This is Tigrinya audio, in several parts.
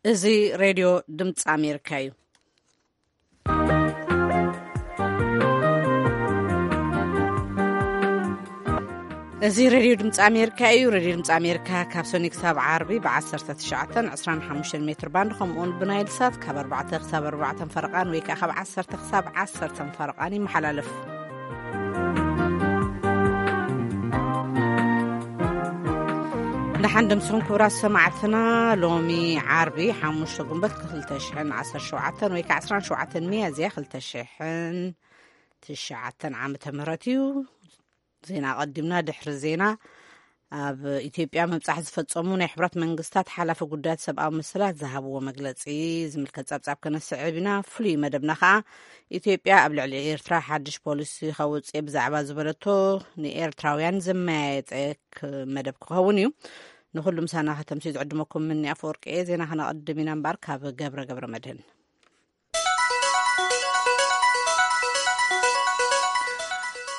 እዚ ሬድዮ ድምፂ ኣሜሪካ እዩ። እዚ ሬድዮ ድምፂ ኣሜሪካ እዩ። ሬድዮ ድምፂ ኣሜሪካ ካብ ሰኒ ክሳብ ዓርቢ ብ19፣ 25 ሜትር ባንድ፣ ከምኡውን ብናይል ሳት ካብ ኣርባዕተ ክሳብ ኣርባዕተ ፈረቓን ወይ ከዓ ካብ ዓሰርተ ክሳብ ዓሰርተ ፈረቓን ይመሓላለፍ። ደሓን ደምስኹም ክቡራት ሰማዕትና። ሎሚ ዓርቢ ሓሙሽተ ጉንበት ክልተ ሽሕን ዓሰርተ ሸውዓተን ወይ ከዓ ዕስራን ሸውዓተን ሚያዝያ ክልተ ሽሕን ትሽዓተን ዓመተ ምህረት እዩ። ዜና ኣቐዲምና። ድሕሪ ዜና፣ ኣብ ኢትዮጵያ ምብጻሕ ዝፈጸሙ ናይ ሕብረት መንግስታት ሓላፊ ጉዳያት ሰብኣዊ መሰላት ዝሃብዎ መግለጺ ዝምልከት ጸብጻብ ከነስዕብ ኢና። ፍሉይ መደብና ከኣ ኢትዮጵያ ኣብ ልዕሊ ኤርትራ ሓድሽ ፖሊሲ ከውጽእ ብዛዕባ ዝበለቶ ንኤርትራውያን ዘመያየጠ ክ-፣ መደብ ክኸውን እዩ። ንኹሉ ምሳና ከተምሲ ዝዕድመኩም ምኒ ኣፈወርቂ እየ። ዜና ከነቐድም ኢና እምበኣር ካብ ገብረ ገብረ መድህን።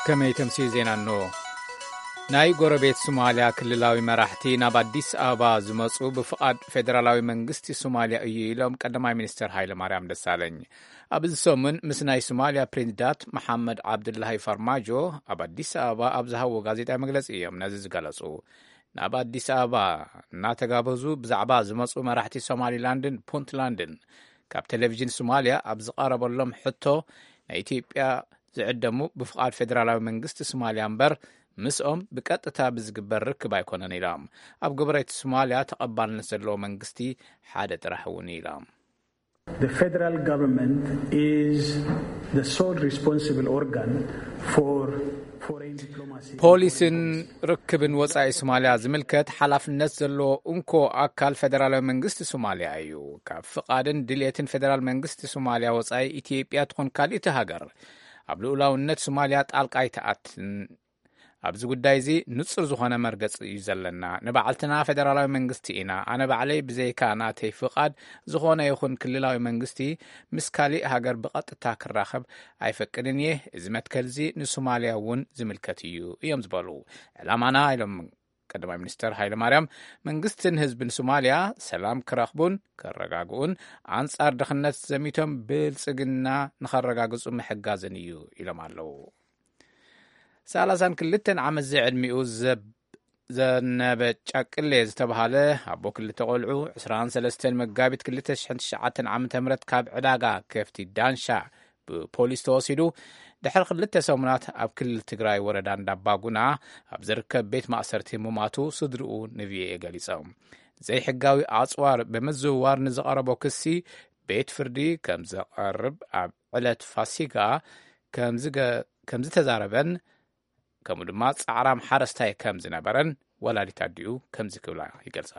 ከመይ ተምሲ ዜና እንሆ። ናይ ጎረቤት ሶማልያ ክልላዊ መራሕቲ ናብ ኣዲስ ኣበባ ዝመጹ ብፍቓድ ፌደራላዊ መንግስቲ ሶማልያ እዩ ኢሎም ቀዳማይ ሚኒስትር ሃይለ ማርያም ደሳለኝ። ኣብዚ ሰሙን ምስ ናይ ሶማልያ ፕሬዚዳንት መሓመድ ዓብዱላሂ ፋርማጆ ኣብ ኣዲስ ኣበባ ኣብ ዝሃብዎ ጋዜጣዊ መግለጺ እዮም ነዚ ዝገለጹ። ናብ ኣዲስ ኣበባ እናተጋበዙ ብዛዕባ ዝመጹ መራሕቲ ሶማሊላንድን ፑንትላንድን ካብ ቴሌቪዥን ሶማልያ ኣብ ዝቐረበሎም ሕቶ፣ ናይ ኢትዮጵያ ዝዕደሙ ብፍቓድ ፌደራላዊ መንግስቲ ሶማልያ እምበር ምስኦም ብቀጥታ ብዝግበር ርክብ ኣይኮነን ኢሎም። ኣብ ጎረቤት ሶማልያ ተቐባልነት ዘለዎ መንግስቲ ሓደ ጥራሕ እውን ኢሎም። The federal government is the sole responsible organ for foreign diplomacy. ፖሊስን ርክብን ወጻኢ ሶማልያ ዝምልከት ሓላፍነት ዘለዎ እንኮ ኣካል ፌደራላዊ መንግስቲ ሶማልያ እዩ። ካብ ፍቓድን ድልየትን ፌደራል መንግስቲ ሶማልያ ወጻኢ ኢትዮጵያ ትኹን ካልእቲ ሃገር ኣብ ልኡላውነት ሶማልያ ጣልቃ ኣይትኣትን። ኣብዚ ጉዳይ እዚ ንጹር ዝኾነ መርገጺ እዩ ዘለና። ንባዕልትና ፌደራላዊ መንግስቲ ኢና። ኣነ ባዕለይ ብዘይካ ናተይ ፍቓድ ዝኾነ ይኹን ክልላዊ መንግስቲ ምስ ካሊእ ሃገር ብቐጥታ ክራኸብ ኣይፈቅድን እየ። እዚ መትከል እዚ ንሶማልያ እውን ዝምልከት እዩ እዮም ዝበሉ። ዕላማና ኢሎም ቀዳማይ ሚኒስትር ሃይለ ማርያም፣ መንግስትን ህዝብን ሶማልያ ሰላም ክረኽቡን ከረጋግኡን፣ ኣንጻር ድኽነት ዘሚቶም ብልጽግና ንኸረጋግጹ ምሕጋዝን እዩ ኢሎም ኣለዉ። ሰላሳን ክልተን ዓመት ዝዕድሚኡ ዘብ-፣ ዘነበ ጫቅሌ ዝተባሃለ ኣቦ ክልተ ቆልዑ፣ ዕስራን ሰለስተን መጋቢት ክልተ ሽሕን ትሽዓተን ዓመተ ምህረት ካብ ዕዳጋ ከፍቲ ዳንሻ ብፖሊስ ተወሲዱ፣ ድሕሪ ክልተ ሰሙናት ኣብ ክልል ትግራይ ወረዳ እንዳባጉና ኣብ ዝርከብ ቤት ማእሰርቲ ምማቱ ስድርኡ ንቪኦኤ ገሊጾም። ዘይሕጋዊ ኣጽዋር ብምዝውዋር ንዝቐረቦ ክሲ ቤት ፍርዲ ከም ዘቐርብ ኣብ ዕለት ፋሲጋ ከም ዝገ-፣ ከም ዝተዛረበን ከምኡ ድማ ጻዕራም ሓረስታይ ከም ዝነበረን ወላዲት ኣዲኡ ከምዚ ክብላ ይገልጻ።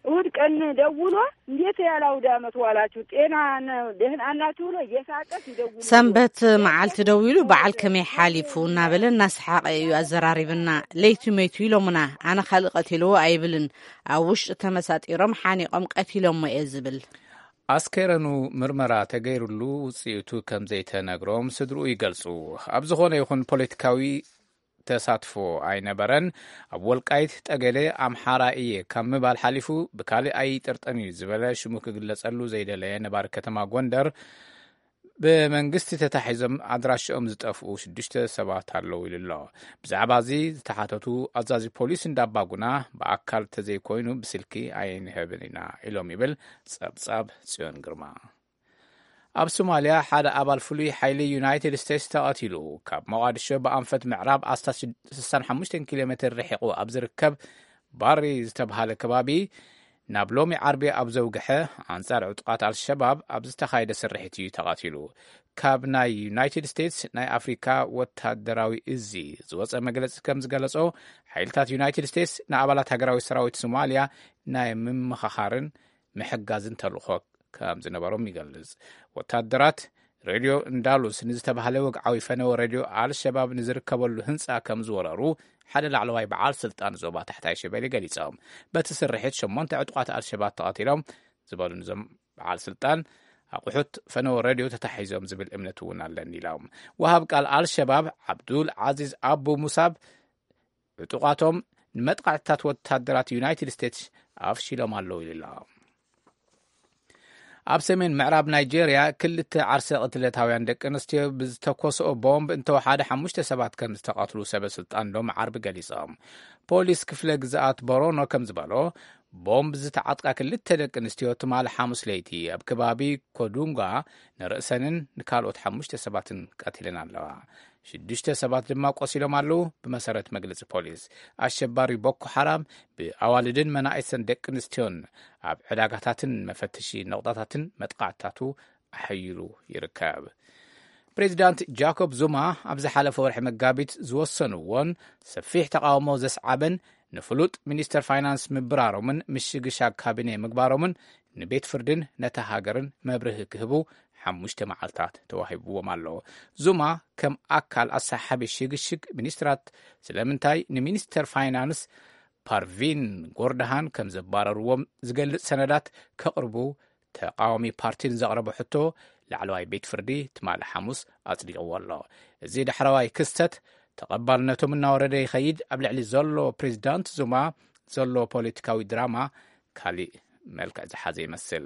እሑድ ቀን ደውሎ፣ "እንዴት ያለ አውደ ዓመት ዋላችሁ? ጤና ነው? ደህና ናችሁ?" ብሎ እየሳቀ ሲደውል፣ ሰንበት መዓልቲ ደዊሉ፣ "በዓል ከመይ ሓሊፉ?" እናበለ እናሰሓቐ እዩ ኣዘራሪብና። ለይቲ መይቱ ኢሎምና። ኣነ ካልእ ቀቲልዎ ኣይብልን። ኣብ ውሽጢ ተመሳጢሮም ሓኒቖም ቀቲሎሞ እየ ዝብል። ኣስከረኑ ምርመራ ተገይሩሉ ውጽኢቱ ከም ዘይተነግሮም ስድርኡ ይገልጹ። ኣብ ዝኾነ ይኹን ፖለቲካዊ ተሳትፎ ኣይነበረን። ኣብ ወልቃይት ጠገዴ ኣምሓራ እየ ካብ ምባል ሓሊፉ ብካልእ ኣይጥርጠን እዩ ዝበለ ሽሙ ክግለጸሉ ዘይደለየ ነባሪ ከተማ ጎንደር፣ ብመንግስቲ ተታሒዞም ኣድራሽኦም ዝጠፍኡ ሽዱሽተ ሰባት ኣለዉ ኢሉ ኣሎ። ብዛዕባ እዚ ዝተሓተቱ ኣዛዚ ፖሊስ እንዳባጉና፣ ብኣካል ተዘይኮይኑ ብስልኪ ኣይንህብን ኢና ኢሎም ይብል ጸብጻብ ጽዮን ግርማ። ኣብ ሶማልያ ሓደ ኣባል ፍሉይ ሓይሊ ዩናይትድ ስቴትስ ተቐቲሉ። ካብ ሞቓዲሾ ብኣንፈት ምዕራብ ኣስታት ስሳን ሓሙሽተን ኪሎ ሜትር ርሒቑ ኣብ ዝርከብ ባሪ ዝተብሃለ ከባቢ ናብ ሎሚ ዓርቢ ኣብ ዘውግሐ ኣንጻር ዕጡቓት ኣልሸባብ ኣብ ዝተኻየደ ስርሒት እዩ ተቐቲሉ። ካብ ናይ ዩናይትድ ስቴትስ ናይ ኣፍሪካ ወታደራዊ እዚ ዝወጸ መግለጺ ከም ዝገለጾ፣ ሓይልታት ዩናይትድ ስቴትስ ንኣባላት ሃገራዊ ሰራዊት ሶማልያ ናይ ምምኻኻርን ምሕጋዝን ተልእኾ ከም ዝነበሮም ይገልጽ። ወታደራት ሬድዮ እንዳሉስ ንዝተባህለ ወግዓዊ ፈነወ ሬድዮ ኣልሸባብ ንዝርከበሉ ህንጻ ከም ዝወረሩ ሓደ ላዕለዋይ በዓል ስልጣን ዞባ ታሕታይ ሸበሌ ገሊጾም። በቲ ስርሒት ሸሞንተ ዕጡቓት ኣልሸባብ ተቐቲሎም ዝበሉ ንዞም በዓል ስልጣን፣ ኣቑሑት ፈነወ ሬድዮ ተታሒዞም ዝብል እምነት እውን ኣለኒ ኢሎም። ወሃብ ቃል ኣልሸባብ ዓብዱል ዓዚዝ ኣቡ ሙሳብ፣ ዕጡቓቶም ንመጥቃዕትታት ወታደራት ዩናይትድ ስቴትስ ኣፍሺሎም ኣለዉ ኢሉ ኣሎ። ኣብ ሰሜን ምዕራብ ናይጄርያ ክልተ ዓርሰ ቅትለታውያን ደቂ ኣንስትዮ ብዝተኮስኦ ቦምብ እንተወሓደ ሓሙሽተ ሰባት ከም ዝተቐትሉ ሰበ ስልጣን ሎም ዓርቢ ገሊጾም። ፖሊስ ክፍለ ግዝኣት ቦሮኖ ከም ዝበሎ፣ ቦምብ ዝተዓጥቃ ክልተ ደቂ ኣንስትዮ ትማሊ ሓሙስ ለይቲ ኣብ ከባቢ ኮዱንጋ ንርእሰንን ንካልኦት ሓሙሽተ ሰባትን ቀቲለን ኣለዋ። ሽዱሽተ ሰባት ድማ ቆሲሎም ኣለዉ። ብመሰረት መግለጺ ፖሊስ፣ ኣሸባሪ ቦኮ ሓራም ብኣዋልድን መናእሰን ደቂ ኣንስትዮን ኣብ ዕዳጋታትን መፈተሺ ነቑጣታትን መጥቃዕትታቱ ኣሐይሉ ይርከብ። ፕሬዚዳንት ጃኮብ ዙማ ኣብ ዝሓለፈ ወርሒ መጋቢት ዝወሰንዎን ሰፊሕ ተቓውሞ ዘስዓበን ንፍሉጥ ሚኒስተር ፋይናንስ ምብራሮምን ምሽግሻግ ካቢኔ ምግባሮምን ንቤት ፍርድን ነታ ሃገርን መብርሂ ክህቡ ሓሙሽተ መዓልታት ተዋሂብዎም ኣሎ። ዙማ ከም ኣካል ኣሰሓቢ ሽግሽግ ሚኒስትራት ስለምንታይ ንሚኒስተር ፋይናንስ ፓርቪን ጎርድሃን ከም ዘባረርዎም ዝገልጽ ሰነዳት ከቕርቡ ተቃዋሚ ፓርቲ ንዘቕረቦ ሕቶ ላዕለዋይ ቤት ፍርዲ ትማሊ ሓሙስ ኣጽዲቕዎ ኣሎ። እዚ ዳሕረዋይ ክስተት ተቐባልነቶም እናወረደ ይኸይድ ኣብ ልዕሊ ዘሎ ፕሬዚዳንት ዙማ ዘሎ ፖለቲካዊ ድራማ ካሊእ መልክዕ ዝሓዘ ይመስል።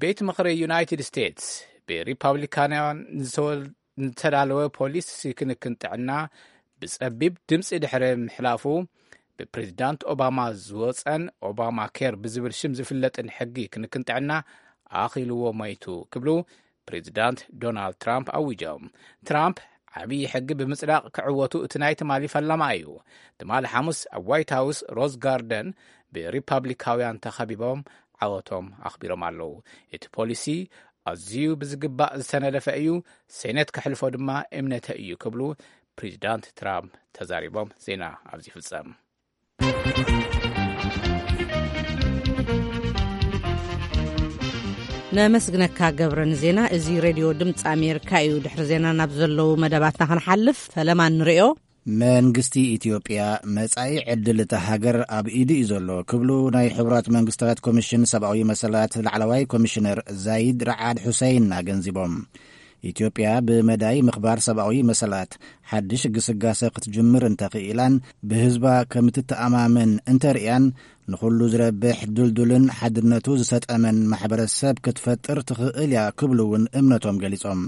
ቤት ምኽሪ ዩናይትድ ስቴትስ ብሪፓብሊካውያን ዝተወል- ዝተዳለወ ፖሊሲ ክንክን ጥዕና ብጸቢብ ድምጺ ድሕሪ ምሕላፉ፣ ብፕሬዚዳንት ኦባማ ዝወጸን ኦባማ ኬር ብዝብል ሽም ዝፍለጥን ሕጊ ክንክን ጥዕና ኣኺልዎ ሞይቱ ክብሉ ፕሬዚዳንት ዶናልድ ትራምፕ ኣዊጆም። ትራምፕ ዓብዪ ሕጊ ብምጽዳቕ ክዕወቱ እቲ ናይ ትማሊ ፈላማ እዩ። ትማሊ ሓሙስ ኣብ ዋይት ሃውስ ሮዝ ጋርደን ብሪፓብሊካውያን ተኸቢቦም ዓወቶም ኣኽቢሮም ኣለዉ። እቲ ፖሊሲ ኣዝዩ ብዝግባእ ዝተነደፈ እዩ፣ ሴኔት ከሕልፎ ድማ እምነተ እዩ ክብሉ ፕሬዚዳንት ትራምፕ ተዛሪቦም። ዜና ኣብዚ ይፍጸም። ነመስግነካ ገብረ ንዜና። እዚ ሬድዮ ድምፂ ኣሜሪካ እዩ። ድሕሪ ዜና ናብ ዘለዉ መደባትና ክንሓልፍ፣ ፈለማ ንሪኦ። መንግስቲ ኢትዮጵያ መጻኢ ዕድል እታ ሃገር ኣብ ኢዱ እዩ ዘሎ ክብሉ ናይ ሕቡራት መንግስታት ኮሚሽን ሰብኣዊ መሰላት ላዕለዋይ ኮሚሽነር ዛይድ ረዓድ ሑሰይን ኣገንዚቦም። ኢትዮጵያ ብመዳይ ምኽባር ሰብኣዊ መሰላት ሓድሽ ግስጋሰ ክትጅምር እንተኽኢላን ብህዝባ ከምትተኣማመን እንተርእያን ንኹሉ ዝረብሕ ድልዱልን ሓድነቱ ዝሰጠመን ማሕበረሰብ ክትፈጥር ትኽእል እያ ክብሉ እውን እምነቶም ገሊጾም።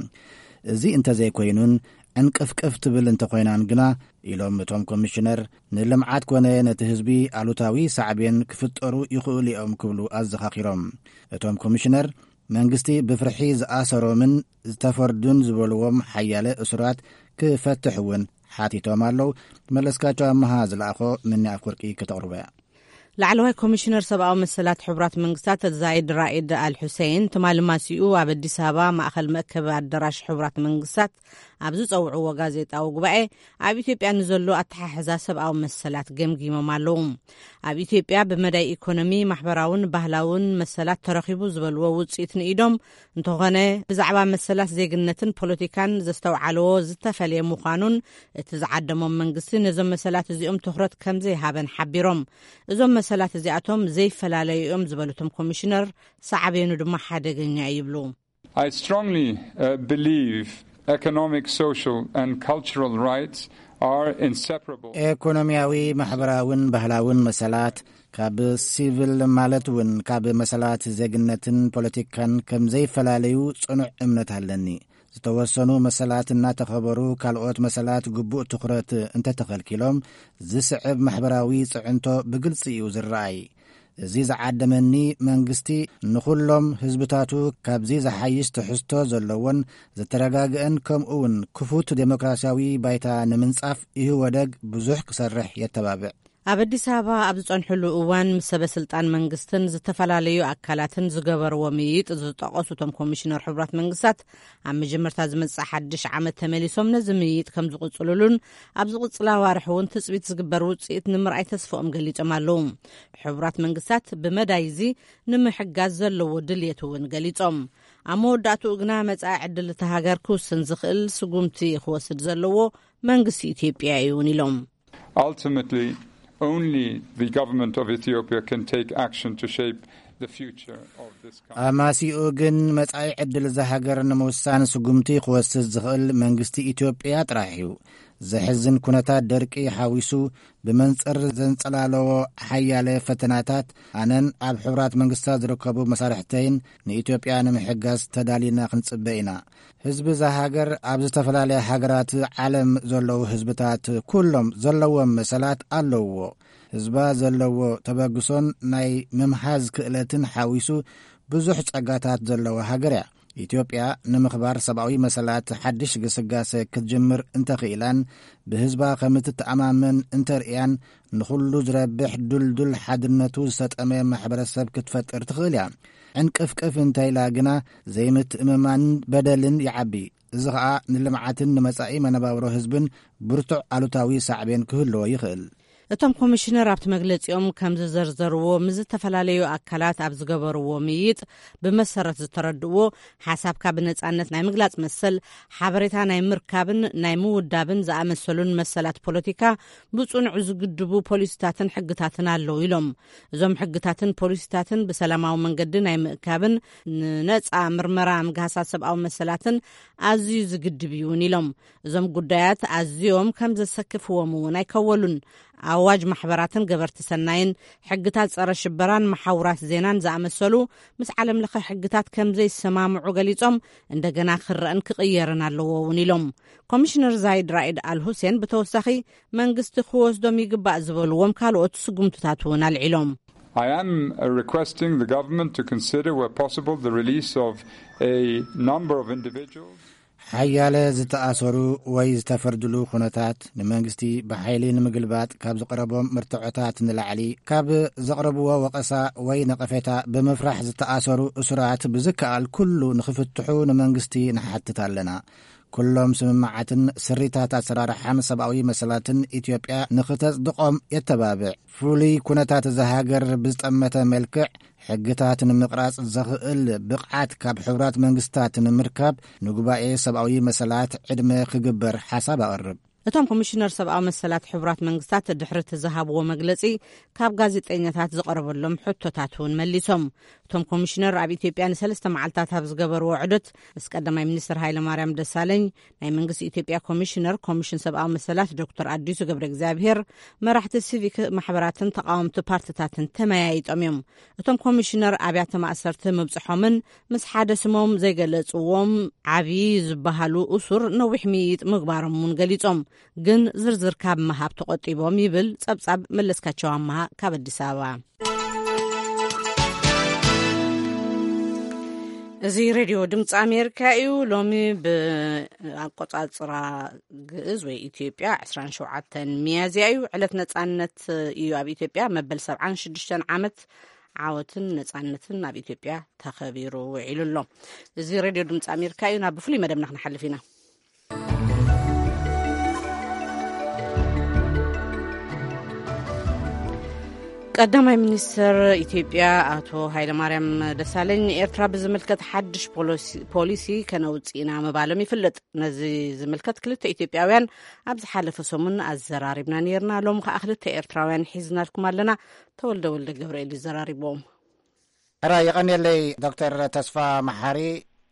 እዚ እንተዘይኮይኑን ዕንቅፍቅፍ ትብል እንተኾይናን ግና፣ ኢሎም እቶም ኮሚሽነር፣ ንልምዓት ኮነ ነቲ ህዝቢ ኣሉታዊ ሳዕቤን ክፍጠሩ ይኽእሉ እዮም ክብሉ ኣዘኻኺሮም። እቶም ኮሚሽነር፣ መንግስቲ ብፍርሒ ዝኣሰሮምን ዝተፈርዱን ዝበልዎም ሓያለ እሱራት ክፈትሕ እውን ሓቲቶም ኣለዉ። መለስካቸው ኣመሃ ዝለኣኾ ምኒ ኣፍወርቂ ከተቕርቦ እያ። ላዕለዋይ ኮሚሽነር ሰብኣዊ መሰላት ሕቡራት መንግስታት ዛይድ ራኢድ ኣል ሑሴን ትማሊ ማሲኡ ኣብ ኣዲስ ኣበባ ማእኸል መእከቢ ኣዳራሽ ሕቡራት መንግስታት ኣብ ዝፀውዕዎ ጋዜጣዊ ጉባኤ ኣብ ኢትዮጵያ ንዘሎ ኣተሓሕዛ ሰብኣዊ መሰላት ገምጊሞም ኣለዉ። ኣብ ኢትዮጵያ ብመዳይ ኢኮኖሚ፣ ማሕበራውን ባህላውን መሰላት ተረኺቡ ዝበልዎ ውፅኢት ንኢዶም እንተኾነ ብዛዕባ መሰላት ዜግነትን ፖለቲካን ዘስተውዓልዎ ዝተፈለየ ምዃኑን እቲ ዝዓደሞም መንግስቲ ነዞም መሰላት እዚኦም ትኹረት ከም ዘይሃበን ሓቢሮም። እዞም መሰላት እዚኣቶም ዘይፈላለዩ እዮም ዝበሉቶም ኮሚሽነር፣ ሳዕቤኑ ድማ ሓደገኛ እዩ ይብሉ። I strongly uh, believe economic, social and cultural rights are inseparable. ኢኮኖሚያዊ፣ ማሕበራውን ባህላውን መሰላት ካብ ሲቪል ማለት እውን ካብ መሰላት ዜግነትን ፖለቲካን ከም ዘይፈላለዩ ጽኑዕ እምነት ኣለኒ። ዝተወሰኑ መሰላት እናተኸበሩ ካልኦት መሰላት ግቡእ ትኹረት እንተተኸልኪሎም ዝስዕብ ማሕበራዊ ጽዕንቶ ብግልጺ እዩ ዝረኣይ። እዚ ዝዓደመኒ መንግስቲ ንኹሎም ህዝብታቱ ካብዚ ዝሓይሽ ትሕዝቶ ዘለዎን ዝተረጋግአን ከምኡ እውን ክፉት ዴሞክራሲያዊ ባይታ ንምንጻፍ ኢህወደግ ብዙሕ ክሰርሕ የተባብዕ። ኣብ ኣዲስ ኣበባ ኣብ ዝጸንሕሉ እዋን ምስ ሰበ ስልጣን መንግስትን ዝተፈላለዩ ኣካላትን ዝገበርዎ ምይይጥ ዝጠቐሱ እቶም ኮሚሽነር ሕቡራት መንግስታት፣ ኣብ መጀመርታ ዝመጽእ ሓድሽ ዓመት ተመሊሶም ነዚ ምይይጥ ከም ዝቕጽልሉን ኣብ ዝቕጽላ ኣዋርሕ እውን ትጽቢት ዝግበር ውጽኢት ንምርኣይ ተስፍኦም ገሊጾም ኣለዉ። ሕቡራት መንግስታት ብመዳይ እዚ ንምሕጋዝ ዘለዎ ድልየት እውን ገሊጾም። ኣብ መወዳእትኡ ግና መጻኢ ዕድል እታ ሃገር ክውስን ዝኽእል ስጉምቲ ክወስድ ዘለዎ መንግስቲ ኢትዮጵያ እዩ እውን ኢሎም። Ultimately, only the government of Ethiopia can take action to shape the future of this country. ኣማሲኡ ግን መጻኢ ዕድል እዛ ሃገር ንምውሳን ስጉምቲ ክወስድ ዝኽእል መንግስቲ ኢትዮጵያ ጥራሕ እዩ። ዘሕዝን ኩነታት ደርቂ ሓዊሱ ብመንጽር ዘንጸላለዎ ሓያለ ፈተናታት፣ ኣነን ኣብ ሕቡራት መንግስታት ዝርከቡ መሳርሕተይን ንኢትዮጵያ ንምሕጋዝ ተዳሊና ክንጽበ ኢና። ህዝቢ እዛ ሃገር ኣብ ዝተፈላለያ ሃገራት ዓለም ዘለዉ ህዝብታት ኩሎም ዘለዎም መሰላት ኣለውዎ። ህዝባ ዘለዎ ተበግሶን ናይ ምምሃዝ ክእለትን ሓዊሱ ብዙሕ ጸጋታት ዘለዋ ሃገር እያ። ኢትዮጵያ ንምኽባር ሰብኣዊ መሰላት ሓድሽ ግስጋሴ ክትጅምር እንተኽኢላን ብህዝባ ከም እትተኣማመን እንተርእያን ንኹሉ ዝረብሕ ድልዱል ሓድነቱ ዝሰጠመ ማሕበረሰብ ክትፈጥር ትኽእል እያ። ዕንቅፍቅፍ እንተኢላ ግና ዘይምትእምማንን በደልን ይዓቢ። እዚ ኸኣ ንልምዓትን ንመጻኢ መነባብሮ ህዝብን ብርቱዕ ኣሉታዊ ሳዕቤን ክህልዎ ይኽእል። እቶም ኮሚሽነር ኣብቲ መግለጺኦም ከም ዝዘርዘርዎ፣ ምስ ዝተፈላለዩ ኣካላት ኣብ ዝገበርዎ ምይጥ ብመሰረት ዝተረድእዎ ሓሳብካ ብነጻነት ናይ ምግላጽ መሰል፣ ሓበሬታ ናይ ምርካብን ናይ ምውዳብን ዝኣመሰሉን መሰላት ፖለቲካ ብጽኑዕ ዝግድቡ ፖሊሲታትን ሕግታትን ኣለዉ ኢሎም። እዞም ሕግታትን ፖሊሲታትን ብሰላማዊ መንገዲ ናይ ምእካብን ንነጻ ምርመራ ምግሃሳት ሰብኣዊ መሰላትን ኣዝዩ ዝግድብ እዩ እውን ኢሎም። እዞም ጉዳያት ኣዝዮም ከም ዘሰክፍዎም እውን ኣይከወሉን። ኣዋጅ ማሕበራትን ገበርቲ ሰናይን፣ ሕግታት ጸረ ሽበራን መሓውራት ዜናን ዝኣመሰሉ ምስ ዓለም ለኸ ሕግታት ከም ዘይሰማምዑ ገሊጾም፣ እንደገና ክረእን ክቕየርን ኣለዎ እውን ኢሎም። ኮሚሽነር ዛይድ ራኢድ ኣል ሁሴን ብተወሳኺ መንግስቲ ክወስዶም ይግባእ ዝበልዎም ካልኦት ስጉምትታት እውን ኣልዒሎም። I am uh, requesting the government to consider, where possible, the release of a number of individuals. ሓያለ ዝተኣሰሩ ወይ ዝተፈርድሉ ኩነታት፣ ንመንግስቲ ብሓይሊ ንምግልባጥ ካብ ዝቐረቦም መርትዖታት ንላዕሊ፣ ካብ ዘቕረብዎ ወቐሳ ወይ ነቐፌታ ብምፍራሕ ዝተኣሰሩ እሱራት ብዝከኣል ኩሉ ንኽፍትሑ ንመንግስቲ ንሓትት ኣለና። ኩሎም ስምምዓትን ስሪታት ኣሰራርሓን ሰብኣዊ መሰላትን ኢትዮጵያ ንኽተጽድቖም የተባብዕ። ፍሉይ ኩነታት እዛ ሃገር ብዝጠመተ መልክዕ ሕግታት ንምቕራጽ ዘኽእል ብቕዓት ካብ ሕቡራት መንግስታት ንምርካብ ንጉባኤ ሰብኣዊ መሰላት ዕድመ ክግበር ሓሳብ ኣቕርብ። እቶም ኮሚሽነር ሰብኣዊ መሰላት ሕቡራት መንግስታት ድሕሪ እቲ ዝሃብዎ መግለጺ ካብ ጋዜጠኛታት ዝቐረበሎም ሕቶታት እውን መሊሶም። እቶም ኮሚሽነር ኣብ ኢትዮጵያ ንሰለስተ መዓልታት ኣብ ዝገበርዎ ዑደት ምስ ቀዳማይ ሚኒስትር ሃይለማርያም ደሳለኝ፣ ናይ መንግስቲ ኢትዮጵያ ኮሚሽነር ኮሚሽን ሰብኣዊ መሰላት ዶክተር ኣዲሱ ገብረ እግዚኣብሔር፣ መራሕቲ ሲቪክ ማሕበራትን ተቃወምቲ ፓርቲታትን ተመያይጦም እዮም። እቶም ኮሚሽነር ኣብያተ ማእሰርቲ ምብጽሖምን ምስ ሓደ ስሞም ዘይገለጽዎም ዓብዪ ዝበሃሉ እሱር ነዊሕ ምይይጥ ምግባሮም እውን ገሊጾም፣ ግን ዝርዝር ካብ ምሃብ ተቆጢቦም ይብል ጸብጻብ መለስካቸው ኣመሃ ካብ ኣዲስ ኣበባ። እዚ ሬድዮ ድምፂ ኣሜሪካ እዩ። ሎሚ ብኣቆጻጽራ ግእዝ ወይ ኢትዮጵያ ዕስራን ሸውዓተን ሚያዝያ እዩ። ዕለት ነጻነት እዩ ኣብ ኢትዮጵያ። መበል ሰብዓን ሽዱሽተን ዓመት ዓወትን ነጻነትን ኣብ ኢትዮጵያ ተኸቢሩ ውዒሉ ኣሎ። እዚ ሬድዮ ድምፂ ኣሜሪካ እዩ። ናብ ብፍሉይ መደብና ክንሓልፍ ኢና። ቀዳማይ ሚኒስትር ኢትዮጵያ ኣቶ ሃይለማርያም ደሳለኝ ንኤርትራ ብዝምልከት ሓድሽ ፖሊሲ፣ ፖሊሲ ከነውፅእ ኢና ምባሎም ይፍለጥ። ነዚ ዝምልከት ክልተ ኢትዮጵያውያን ኣብ ዝሓለፈ ሰሙን ኣዘራሪብና ነይርና። ሎም ከዓ ክልተ ኤርትራውያን ሒዝናልኩም ኣለና። ተወልደ ወልደ ገብርኤል ይዘራሪብዎም። ሕራይ የቐንየለይ ዶክተር ተስፋ መሓሪ፣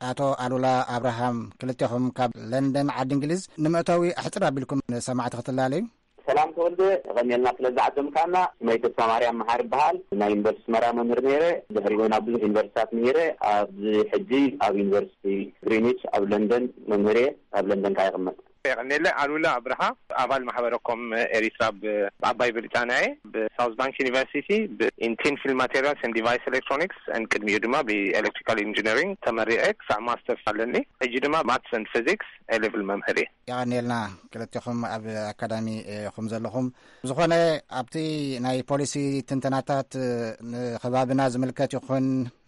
ኣቶ ኣሉላ ኣብርሃም፣ ክልቴኹም ካብ ለንደን ዓዲ እንግሊዝ። ንመእተዊ ኣሕፅር ኣቢልኩም ንሰማዕቲ ክትላለዩ። ሰላም ተወልደ፣ የቐንየልና ስለ ዝዓደምካና። ስመይ ተስፋ ማርያም መሓሪ ይበሃል። ናይ ዩኒቨርሲቲ ኣስመራ መምህር ነይረ። ድሕሪኡ ናብ ብዙሕ ዩኒቨርሲታት ምሂረ። ኣብዚ ሕጂ ኣብ ዩኒቨርሲቲ ግሪኒች ኣብ ለንደን መምህር እየ። ኣብ ለንደን ከዓ ይቕመጥ። የቐንየለይ። ኣሉላ ኣብርሃ፣ ኣባል ማሕበረ ኮም ኤሪትራ ብ-፣ ብዓባይ ብሪጣንያ እየ። ብሳውዝ ባንክ ዩኒቨርሲቲ ብ-፣ in thin film materials and device electronics፣ and ቅድሚኡ ድማ ብኤሌክትሪካል ኢንጂነሪንግ ተመሪዐ ክሳዕ ማስተርስ ኣለኒ። ሕጂ ድማ ማትስ and ፊዚክስ ኤ ሌቭል መምህር እየ። የቐንየልና ክልቴኹም ኣብ ኣካዳሚ ኢኹም ዘለኹም። ዝኾነ ኣብቲ ናይ ፖሊሲ ትንተናታት ንኸባብና ዝምልከት ይኹን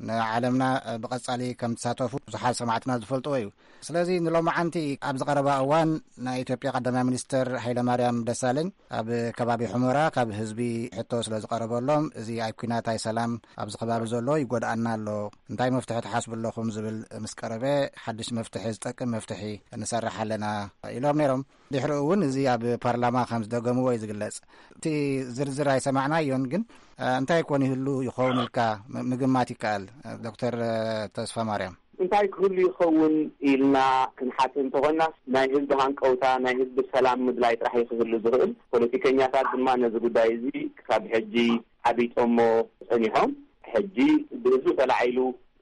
ንዓለምና ብቐጻሊ ከም ትሳተፉ ብዙሓት ሰማዕትና ዝፈልጥዎ እዩ። ስለዚ ንሎማዓንቲ ኣብ ዝቐረባ እዋን ናይ ኢትዮጵያ ቀዳማይ ሚኒስትር ሃይለማርያም ደሳለኝ ኣብ ከባቢ ሑመራ ካብ ህዝቢ ሕቶ ስለ ዝቐረበሎም፣ እዚ ኣብ ኲናት ኣይ ሰላም ኣብዚ ከባቢ ዘሎ ይጎድኣና ኣሎ፣ እንታይ መፍትሒ ትሓስቡ ኣለኹም ዝብል ምስ ቀረበ፣ ሓድሽ መፍትሒ፣ ዝጠቅም መፍትሒ ንሰርሕ ኣለና ኢሎም ነይሮም። ድሕሪኡ እውን እዚ ኣብ ፓርላማ ከም ዝደገምዎ እዩ ዝግለጽ። እቲ ዝርዝር ኣይሰማዕናዮን፣ ግን እንታይ ኮን ይህሉ ይኸውን ኢልካ ም-፣ ምግማት ይከኣል? ዶክተር ተስፋ ማርያም። እንታይ ክህሉ ይኸውን ኢልና ክንሓስብ እንተኾንና፣ ናይ ህዝቢ ሃንቀውታ፣ ናይ ህዝቢ ሰላም ምድላይ ጥራሕ እዩ ክህሉ ዝኽእል። ፖለቲከኛታት ድማ ነዚ ጉዳይ እዚ ክሳብ ሕጂ ዓቢጦሞ ጸኒሖም። ሕጂ ብህዝቢ ተላዒሉ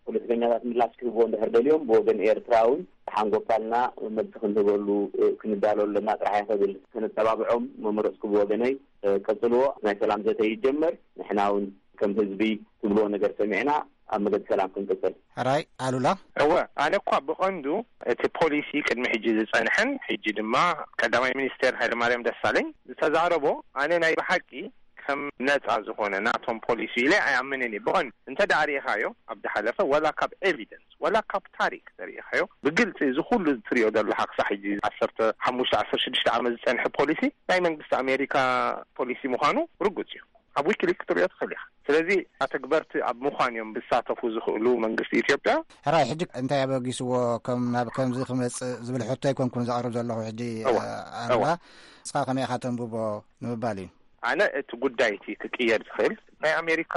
ፖለቲከኛታት ምላሽ ክህብዎ እንድሕር ደልዮም፣ ብወገን ኤርትራ እውን ሓንጎፋልና መልሲ ክንህበሉ፣ እ፣ ክንዳሎ ኣለና ጥራሕ እየ ክብል። ከነተባብዖም መመረጽኩ ብወገነይ። እ፣ ቀጽልዎ። ናይ ሰላም ዘተ ይጀመር። ንሕና እውን ከም ህዝቢ ትብልዎ ነገር ሰሚዕና ኣብ መገዲ ሰላም ክንቅጽል። ሕራይ ኣሉላ። እወ፣ ኣነ እኳ ብቐንዱ እቲ ፖሊሲ ቅድሚ ሕጂ ዝጸንሐን ሕጂ ድማ ቀዳማይ ሚኒስቴር ሃይለማርያም ደሳለኝ ዝተዛረቦ፣ ኣነ ናይ ብሓቂ ከም ነጻ ዝኾነ ናቶም ፖሊሲ ኢለ ኣይኣምንን እየ። ብቐንዱ እንተ ደኣ ርኢኻዮ፣ ኣብ ዝሓለፈ፣ ዋላ ካብ ኤቪደንስ ዋላ ካብ ታሪክ ተሪኢኻዮ፣ ብግልጺ እዚ ኩሉ ትሪኦ ዘለኻ ክሳዕ ሕጂ ዓሰርተ ሓሙሽተ ዓሰርተ ሽዱሽተ ዓመት ዝጸንሐ ፖሊሲ ናይ መንግስቲ ኣሜሪካ ፖሊሲ ምዃኑ ርጉጽ እዩ። ኣብ ዊኪሊክ ክትሪኦ ትኽእል ኢኻ። ስለዚ ኣተግበርቲ ኣብ ምዃን እዮም ዝሳተፉ ዝኽእሉ መንግስቲ ኢትዮጵያ። ሕራይ፣ ሕጂ እንታይ ኣበጊስዎ ከም ናብ ከምዚ ክመጽእ ዝብል ሕቶ ኣይኮንኩን ዘቕርብ ዘለኹ ሕጂ። እዋ፣ ኣሉላ፣ እዋ። ንስኻ ከመይ ኢኻ ተንብቦ ንምባል እዩ። ኣነ እቲ ጉዳይ እቲ ክቅየር ዝኽእል ናይ ኣሜሪካ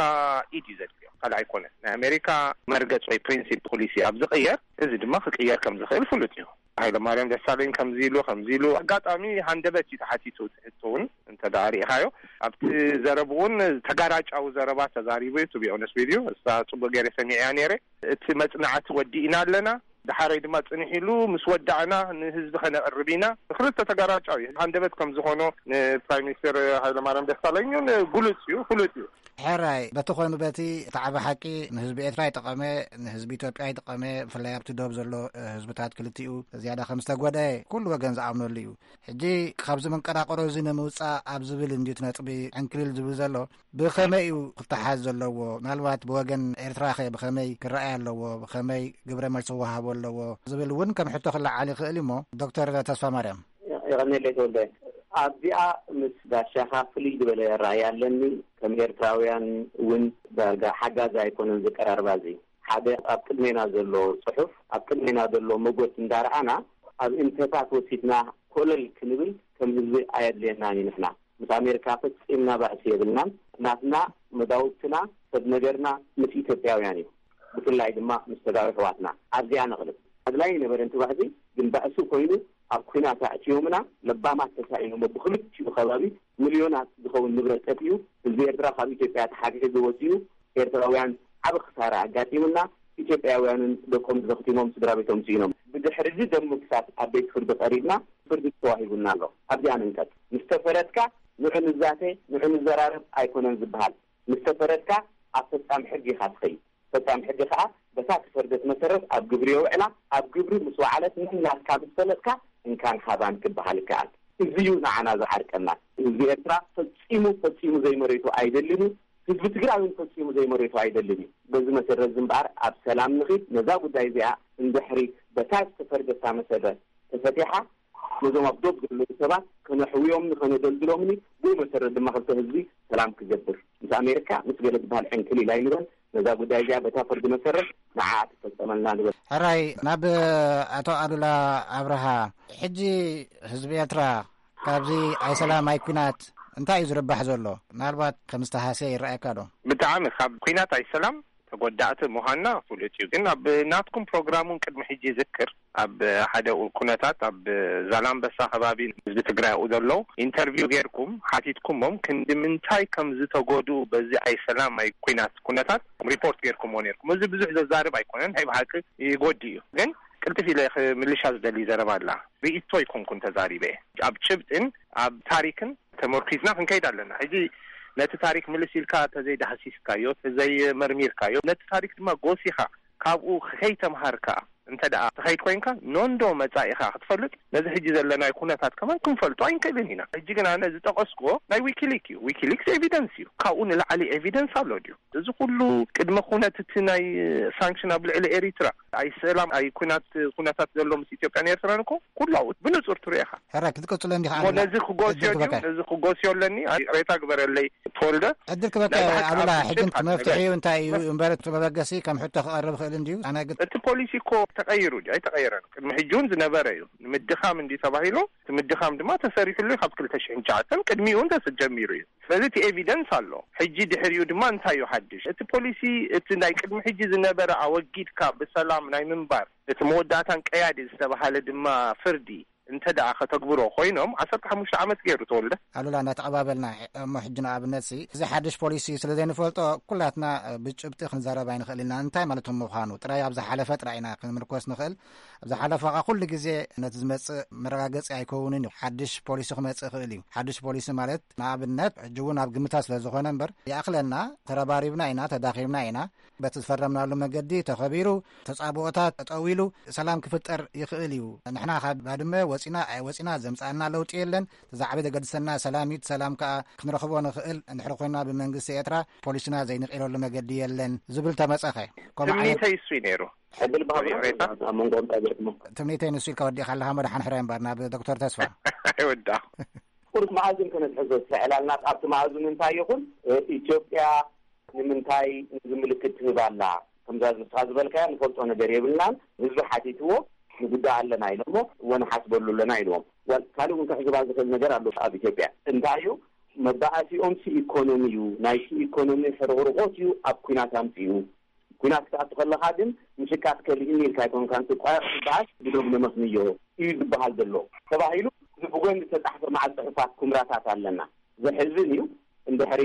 ኢድ እዩ ዘድልዮ፣ ካልእ ኣይኮነን። ናይ ኣሜሪካ መርገጽ ወይ ፕሪንሲፕ ፖሊሲ ኣብ ዝቅየር፣ እዚ ድማ ክቅየር ከም ዝኽእል ፍሉጥ እዩ። ሃይለማርያም ደሳለኝ ከምዚ ኢሉ፣ ከምዚ ኢሉ፣ ኣጋጣሚ ሃንደበት እዩ ተሓቲቱ። እቲ ሕቶ እውን እንተ ደኣ ርኢኻዮ፣ ኣብቲ ዘረብኡ እውን ተጋራጫዊ ዘረባ ተዛሪቡ እዩ። ቱ ቢ ኦነስት ዊዝ ዩ፣ እሳ ጽቡቅ ገይረ ሰሚዐያ ነይረ። እቲ መጽናዕቲ ወዲእና ኣለና፣ ደሓረይ ድማ ጽንሕ ኢሉ፣ ምስ ወዳእና ንህዝቢ ከነቕርብ ኢና። ክልተ ተጋራጫዊ ሃንደበት ከም ዝኾኖ ንፕራይም ሚኒስተር ሃይለማርያም ደሳለኝ እውን ግሉጽ እዩ፣ ፍሉጥ እዩ። ሕራይ፣ በቲ ኮይኑ በቲ፣ እቲ ዓቢ ሓቂ ንህዝቢ ኤርትራ ይጠቐመ፣ ንህዝቢ ኢትዮጵያ ይጠቐመ፣ ብፍላይ ኣብቲ ዶብ ዘሎ፣ እ፣ ህዝብታት ክልቲኡ ዝያዳ ከም ዝተጎድአ ኩሉ ወገን ዝኣምነሉ እዩ። ሕጂ ካብዚ መንቀራቕሮ እዚ ንምውጻእ ኣብ ዝብል እንድዩ እቲ ነጥቢ ዕንክሊል ዝብል ዘሎ። ብኸመይ እዩ ክተሓዝ ዘለዎ? ምናልባት ብወገን ኤርትራ ኸ ብኸመይ ክረኣይ ኣለዎ? ብኸመይ ግብረ መልሲ ክወሃቦ ኣለዎ? ዝብል እውን ከም ሕቶ ክለዓል ይኽእል እዩ እሞ፣ ዶክተር ተስፋ ማርያም። የቐንየለይ ተወልደ። ኣብዚኣ ምስ ጋሻኻ ፍልይ ዝበለ ራእይ ኣለኒ። ከም ኤርትራውያን እውን ዳርጋ ሓጋዚ ኣይኮነን ዝቀራርባ እዚ። ሓደ ኣብ ቅድሜና ዘሎ ጽሑፍ፣ ኣብ ቅድሜና ዘሎ መጎት እንዳረኣና፣ ኣብ እንተታት ወሲድና ኮለል ክንብል ከም ህዝቢ ኣየድልየናን እዩ። ንሕና ምስ ኣሜሪካ ፈጺምና ባእሲ የብልናን። ናትና መዳውብትና፣ ሰብ ነገርና ምስ ኢትዮጵያውያን እዩ። ብፍላይ ድማ ምስ ተጋሩ ኣሕዋትና። ኣብዚኣ ነቕልብ። ኣድላይ ነበረ እቲ ባእሲ፣ ግን ባእሲ ኮይኑ ኣብ ኲናት ኣእትዮምና፣ ለባማት ተሳኢኖም፣ ብኽልቲኡ ከባቢ ሚልዮናት ዝኸውን ንብረት ጠፊኡ፣ ህዝቢ ኤርትራ ካብ ኢትዮጵያ ተሓግሒጉ ወጺኡ፣ ኤርትራውያን ዓቢ ክሳራ ኣጋጢሙና፣ ኢትዮጵያውያንን ደቆም ተዘኽቲሞም፣ ስድራ ቤቶም ስኢኖም። ብድሕሪ እዚ ደም ምፍሳስ ኣብ ቤት ፍርዲ ቀሪብና፣ ፍርዲ ተዋሂቡና ኣሎ። ኣብዚኣ ንንቀጥ። ምስ ተፈረድካ ንዑ ንዛተ፣ ንዑ ንዘራረብ ኣይኮነን ዝበሃል። ምስ ተፈረድካ ኣብ ፈጻሚ ሕጊ ኢኻ ትኸይድ። ፈጻሚ ሕጊ ከኣ በታ ትፈርደት መሰረት ኣብ ግብሪ የውዕላ። ኣብ ግብሪ ምስ ወዓለት፣ ነናትካ ምስ ፈለጥካ እንካን ሃባን ክበሃል ይከኣል። እዚ እዩ ንዓና ዝዓርቀና። ህዝቢ ኤርትራ ፈጺሙ፣ ፈጺሙ ዘይመሬቱ ኣይደልን እዩ። ህዝቢ ትግራይ እውን ፈጺሙ ዘይመሬቱ ኣይደልን እዩ። በዚ መሰረት እዚ እምበኣር ኣብ ሰላም ንኺድ። ነዛ ጉዳይ እዚኣ እንድሕሪ በታ ዝተፈርደታ መሰረት ተፈቲሓ፣ ነዞም ኣብ ዶብ ዘለዉ ሰባት ከነሕውዮምን ከነደልድሎምን እዩ። ብኡ መሰረት ድማ ክልተ ህዝቢ ሰላም ክገብር፣ ምስ ኣሜሪካ ምስ ገለ ዝበሃል ዕንክሊል ኣይንበል። ነዛ ጉዳይ እዚኣ በታ ፍርዲ መሰረት ንዓ ትፈጸመልና ንበል። ሕራይ፣ ናብ ኣቶ ኣሉላ ኣብርሃ፣ ሕጂ ህዝቢ ኤርትራ ካብዚ ኣይ ሰላም ኣይ ኲናት እንታይ እዩ ዝርባሕ ዘሎ? ምናልባት ከም ዝተሃስየ ይረኣየካ ዶ? ብጣዕሚ፣ ካብ ኲናት ኣይ ሰላም ተጎዳእቲ ምዃንና ፍሉጥ እዩ። ግን ኣብ ናትኩም ፕሮግራም እውን ቅድሚ ሕጂ ይዝክር፣ ኣብ ሓደ ኩነታት ኣብ ዛላምበሳ ከባቢ ህዝቢ ትግራይ ኣብኡ ዘለዉ ኢንተርቪው ጌርኩም ሓቲትኩሞም ክንዲ ምንታይ ከም ዝተጎድኡ በዚ ኣይ ሰላም ኣይ ኲናት ኩነታት ሪፖርት ጌርኩምዎ ኔርኩም። እዚ ብዙሕ ዘዛርብ ኣይኮነን፣ ናይ ብሓቂ ይጎድእ እዩ። ግን ቅልጥፍ ኢለ ክምልሻ ዝደሊ ዘረባ ኣላ። ርእይቶ ኣይኮንኩን ተዛሪበ። ኣብ ጭብጥን ኣብ ታሪክን ተመርኪዝና ክንከይድ ኣለና። ሕጂ ነቲ ታሪክ ምልስ ኢልካ ተዘይዳህሲስካዮ፣ ተዘይመርሚርካዮ፣ ነቲ ታሪክ ድማ ጎሲኻ ካብኡ ከይተምሃርካ እንተ ደኣ ትኸይድ ኮይንካ፣ ኖንዶ መጻኢኻ ክትፈልጥ፣ ነዚ ሕጂ ዘለናዮ ኩነታት ከማን ክንፈልጦ ኣይንክእልን ኢና። ሕጂ ግን ኣነ ዝጠቐስኩዎ ናይ ዊኪሊክ እዩ። ዊኪሊክስ ኤቪደንስ እዩ። ካብኡ ንላዕሊ ኤቪደንስ ኣሎ ድዩ? እዚ ኩሉ ቅድመ ኩነት እቲ ናይ ሳንክሽን ኣብ ልዕሊ ኤሪትራ፣ ኣይ ሰላም፣ ኣይ ኩናት፣ ኩነታት ዘሎ ምስ ኢትዮጵያን ኤርትራን እኮ ኩሉ ኣብኡ ብንጹር ትሪኦ ኢኻ። ሕራይ ክትቅጽሎ እንዲኻ እሞ ኣሉላ። ነዚ ክጎስዮ ዕድል ድዩ? ክበካ። ነዚ ክጎስዮ ኣለኒ? ይቕሬታ ግበረለይ ተወልደ። ዕድል ክበካ ናይ ብሓቂ ኣሉላ፣ ኣብ ሕጂ እቲ መፍትሒ እዩ እንታይ እዩ? እምበር እቲ መበገሲ ከም ሕቶ ክቐርብ ይኽእል እንድዩ። ኣነ ግን እቲ ፖሊሲ እኮ ተቐይሩ ድዩ? ኣይተቐየረን። ቅድሚ ሕጂ እውን ዝነበረ እዩ። ንምድኻም ምድኻም እንዲ ተባሂሉ፣ እቲ ምድኻም ድማ ተሰሪሕሉ ካብ ክልተ ሽሕን ትሽዓተን ቅድሚኡ እውን ተስ-፣ ጀሚሩ እዩ። ስለዚ እቲ ኤቪደንስ ኣሎ። ሕጂ ድሕሪኡ ድማ እንታይ እዩ ሓድሽ? እቲ ፖሊሲ፣ እቲ ናይ ቅድሚ ሕጂ ዝነበረ ኣወጊድካ ብሰላም ናይ ምንባር፣ እቲ መወዳእታን ቀያዲ ዝተባሃለ ድማ ፍርዲ እንተ ደኣ ከተግብሮ ኮይኖም፣ ዓሰርተ ሓሙሽተ ዓመት ገይሩ ተወልደ። ኣሉላ፣ እንዳተቐባበልና፣ እሞ ሕጂ ንኣብነት ሲ፣ እዚ ሓድሽ ፖሊሲ ስለ ዘይንፈልጦ፣ ኩላትና ብጭብጢ ክንዛረብ ኣይንኽእል ኢና። እንታይ ማለት ምዃኑ ጥራይ ኣብ ዝሓለፈ ጥራይ ኢና ክንምርኮስ ንኽእል። ኣብ ዝሓለፈ ኸኣ ኩሉ ግዜ ነቲ ዝመጽእ መረጋገጺ ኣይከውንን እዩ። ሓድሽ ፖሊሲ ክመጽእ ይኽእል እዩ። ሓድሽ ፖሊሲ ማለት ንኣብነት ሕጂ እውን ኣብ ግምታት ስለ ዝኾነ እምበር፣ ይኣኽለና፣ ተረባሪብና ኢና፣ ተዳኺምና ኢና፣ በቲ ዝፈረምናሉ መገዲ ተኸቢሩ፣ ተጻብኦታት ጠጠው ኢሉ ሰላም ክፍጠር ይኽእል እዩ። ንሕና ካብ ባድመ ወጺና ኣይወጺና ዘምጻእና ለውጢ የለን። እቲ ዝዓበየ ዘገድሰና ሰላም እዩ። እቲ ሰላም ከኣ ክንረኽቦ ንኽእል እንድሕር ኮይና ብመንግስቲ ኤርትራ ፖሊስና ዘይንቕይረሉ መገዲ የለን ዝብል ተመጸኸ። ከምኡ ዓይነት ትምኒተይ እሱ እዩ ነይሩ። ዕድል ባህሪ ሬታ። ኣብ መንጎኦም እንታይ ገጥሞ? ትምኒተይ ንሱ ኢልካ ወዲእካ ኣለኻ። መድሓን ሕራይ እምበር ናብ ዶክተር ተስፋ። ኣይወዳኹ። ቁርጥ መኣዝን ከነትሕዞ ዝስዕላልና ኣብቲ መኣዝን እንታይ ይኹን፣ እ፣ ኢትዮጵያ ንምንታይ ነዚ ምልክት ትህብ ኣላ? ከምዛ ንስኻ ዝበልካያ ንፈልጦ ነገር የብልናን። ህዝቢ ሓቲትዎ ንጉዳእ ኣለና ኢሎሞ፣ እወ ንሓስበሉ ኣለና ኢልዎም። ዋል-፣ ካልእ እውን ክሕዝባ ዝኽእል ነገር ኣሎ ኣብ ኢትዮጵያ። እንታይ እዩ? መባኣሲኦምሲ ኢኮኖሚ እዩ። ናይቲ ኢኮኖሚ ሕርቕርቖት እዩ ኣብ ኲናት ኣምፅኡ። ኲናት ክትኣቱ ከለኻ ግን ምሽቃጥ ከሊእኒ ኢልካ ኣይኮንካን ትቋረቕ ትበሃል። ብዶብ ነመስንዮ እዩ ዝበሃል ዘሎ ተባሂሉ፣ እዚ ብጎኒ ዝተጻሕፈ መዓል ጽሑፋት ኩምራታት ኣለና። ዘሕዝን እዩ። እንድሕሪ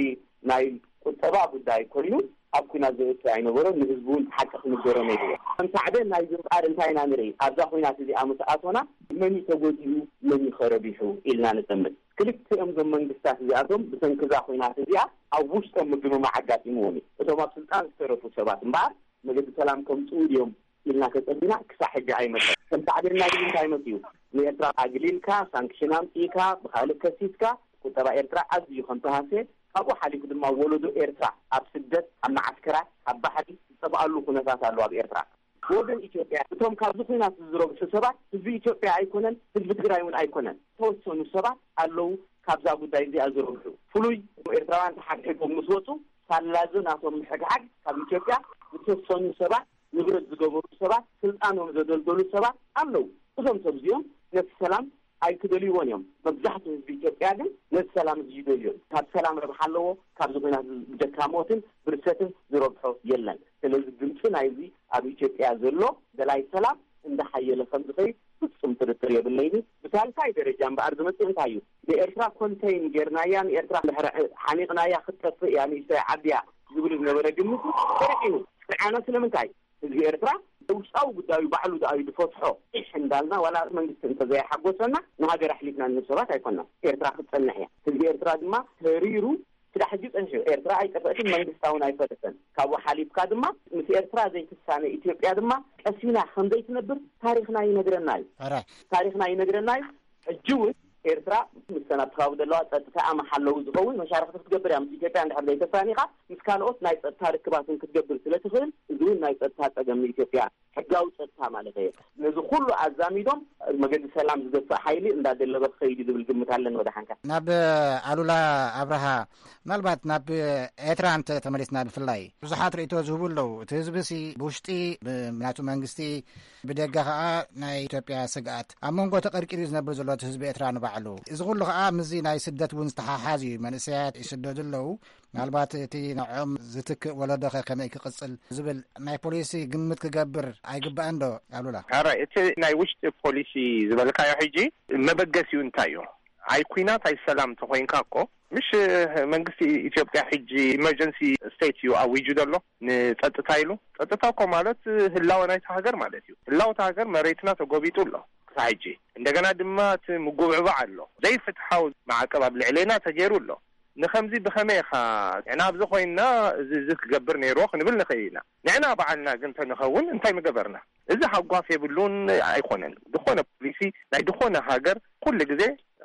ናይ ቁጠባ ጉዳይ ኮይኑ ኣብ ኲናት ዘእቱ ኣይነበሮን፣ ንህዝቢ እውን ሓቂ ክንገሮ ነይርዎ። ከም ሳዕቤን ናይዚ እምበኣር እንታይ ኢና ንርኢ? ኣብዛ ኲናት እዚኣ ምስ ኣቶና መን እዩ ተጎዲኡ፣ መን እዩ ከረቢሑ ኢልና ንጠምት። ክልቲኦም ዞም መንግስታት እዚኣቶም ብሰንኪ እዛ ኲናት እዚኣ ኣብ ውሽጦም ምግምማዕ ኣጋጢምዎም እዩ። እቶም ኣብ ስልጣን ዝተረፉ ሰባት እምበኣር መገዲ ሰላም ከምፅኡ ድዮም ኢልና ተፀቢና ክሳዕ ሕጂ ኣይመፀን። ከም ሳዕቤን ናይዚ እንታይ መፅኡ? ንኤርትራ ኣግሊልካ፣ ሳንክሽን ኣምፂእካ፣ ብካልእ ከሲስካ፣ ቁጠባ ኤርትራ ኣዝዩ ከም ተሃስየ፣ ካብኡ ሓሊፉ ድማ ወለዶ ኤርትራ ኣብ ስደት፣ ኣብ መዓስከራት፣ ኣብ ባሕሪ ዝጠፍኣሉ ኩነታት ኣሎ ኣብ ኤርትራ። ብወገን ኢትዮጵያ እቶም ካብዚ ኲናት ዝረብሑ ሰባት ህዝቢ ኢትዮጵያ ኣይኮነን፣ ህዝቢ ትግራይ እውን ኣይኮነን። ዝተወሰኑ ሰባት ኣለዉ ካብዛ ጉዳይ እዚኣ ዝረብሑ። ፍሉይ ኤርትራውያን ተሓግሒጎም ምስ ወፁ ሳላዞ ናቶም ምሕግሓግ ካብ ኢትዮጵያ ዝተወሰኑ ሰባት ንብረት ዝገበሩ ሰባት፣ ስልጣኖም ዘደልደሉ ሰባት ኣለዉ። እዞም ሰብ እዚኦም ነቲ ሰላም ኣይክደልይዎን እዮም። መብዛሕትኡ ህዝቢ ኢትዮጵያ ግን ነቲ ሰላም እዚ ይደልዮ። ካብ ሰላም ረብሓ ኣለዎ፣ ካብዚ ኲናት እዚ ብጀካ ሞትን ብርሰትን ዝረብሖ የለን። ስለዚ ድምፂ ናይዚ ኣብ ኢትዮጵያ ዘሎ ደላይ ሰላም እንዳሓየለ ከም ዝኸይድ ፍጹም ጥርጥር የብለይን። ብሳልሳይ ደረጃ እምበኣር ዝመጽእ እንታይ እዩ? ንኤርትራ ኮንተይን ጌርናያ፣ ንኤርትራ ድሕሪ ሓኒቕናያ ክትጠፍእ እያ፣ ንእሽተይ ዓዲ እያ ዝብል ዝነበረ ግምት ተረቂኑ። ስርዓና ስለምንታይ? ህዝቢ ኤርትራ ውሽጣዊ ጉዳዩ ባዕሉ ደኣ እዩ ዝፈትሖ። ኢሕ እንዳልና ዋላ መንግስቲ እንተዘይሓጎሰና ንሃገር ኣሕሊፍና ንህብ ሰባት ኣይኮናን። ኤርትራ ክትጸንሕ እያ። ህዝቢ ኤርትራ ድማ ተሪሩ ክሳዕ ሕጂ ጸኒሑ። ኤርትራ ኣይጠፍአትን፣ መንግስታ እውን ኣይፈረሰን። ካብኡ ሓሊፍካ ድማ ምስ ኤርትራ ዘይትሳነ ኢትዮጵያ ድማ ቀሲና ከም ዘይትነብር ታሪኽና ይነግረና እዩ። ሕራይ። ታሪኽና ይነግረና እዩ። ሕጂ እውን ኤርትራ ምስተ ናብቲ ከባቢ ዘለዋ ጸጥታኣ መሓለዊ ዝኸውን መሻርኽቲ ክትገብር እያ። ምስ ኢትዮጵያ እንድሕር ዘይተሳኒኻ ምስ ካልኦት ናይ ጸጥታ ርክባት እውን ክትገብር ስለ ትኽእል፣ እዚ እውን ናይ ጸጥታ ጸገም ንኢትዮጵያ፣ ሕጋዊ ጸጥታ ማለት እየ። ነዚ ኩሉ ኣዛሚዶም መገዲ ሰላም ዝገፍእ ሓይሊ እንዳደለበ ክኸይድ እዩ ዝብል ግምት ኣለኒ። ወደ ሓንካ ናብ ኣሉላ ኣብርሃ፣ ምናልባት ናብ ኤርትራ እንተ ተመሊስና ብፍላይ ብዙሓት ርእይቶ ዝህቡ ኣለዉ። እቲ ህዝቢሲ ብውሽጢ ብ-፣ ናቱ መንግስቲ፣ ብደገ ኸኣ ናይ ኢትዮጵያ ስግኣት ኣብ መንጎ ተቐርቂሩ እዩ ዝነብር ዘሎ እቲ ህዝቢ ኤርትራ ንባዕሉ። እዚ ኩሉ ኸኣ ምስዚ ናይ ስደት እውን ዝተሓሓዝ እዩ። መንእሰያት ይስደዱ ኣለዉ። ምናልባት እቲ ንዕኦም ዝትክእ ወለዶ ኸ ከመይ ክቕጽል ዝብል ናይ ፖሊሲ ግምት ክገብር ኣይግባእን ዶ ኣሉላ? ሕራይ፣ እቲ ናይ ውሽጢ ፖሊሲ ዝበልካዮ ሕጂ መበገሲኡ እንታይ እዩ? ኣይ ኲናት ኣይ ሰላም ተኾይንካ እኮ፣ ምሽ መንግስቲ ኢትዮጵያ ሕጂ ኢመርጀንሲ ስቴት እዩ ኣዊጁ ዘሎ ንጸጥታ ኢሉ። ጸጥታ እኮ ማለት ህላወ ናይታ ሃገር ማለት እዩ። ህላወ እታ ሃገር መሬትና ተጎቢጡ ኣሎ ክሳብ ሕጂ። እንደገና ድማ እቲ ምጉብዕባዕ ኣሎ። ዘይፍትሓዊ ማዕቀብ ኣብ ልዕሌና ተገይሩ ኣሎ። ንኸምዚ ብኸመይ ኢኻ ንሕና ኣብዚ ኮይንና እዚ፣ እዚ ክገብር ነይርዎ ክንብል ንኽእል ኢና። ንሕና በዓልና ግን ተንኸውን እንታይ ምገበርና? እዚ ሃጓፍ የብሉን ኣይኮነን። ዝኾነ ፖሊሲ ናይ ዝኾነ ሃገር ኩሉ ግዜ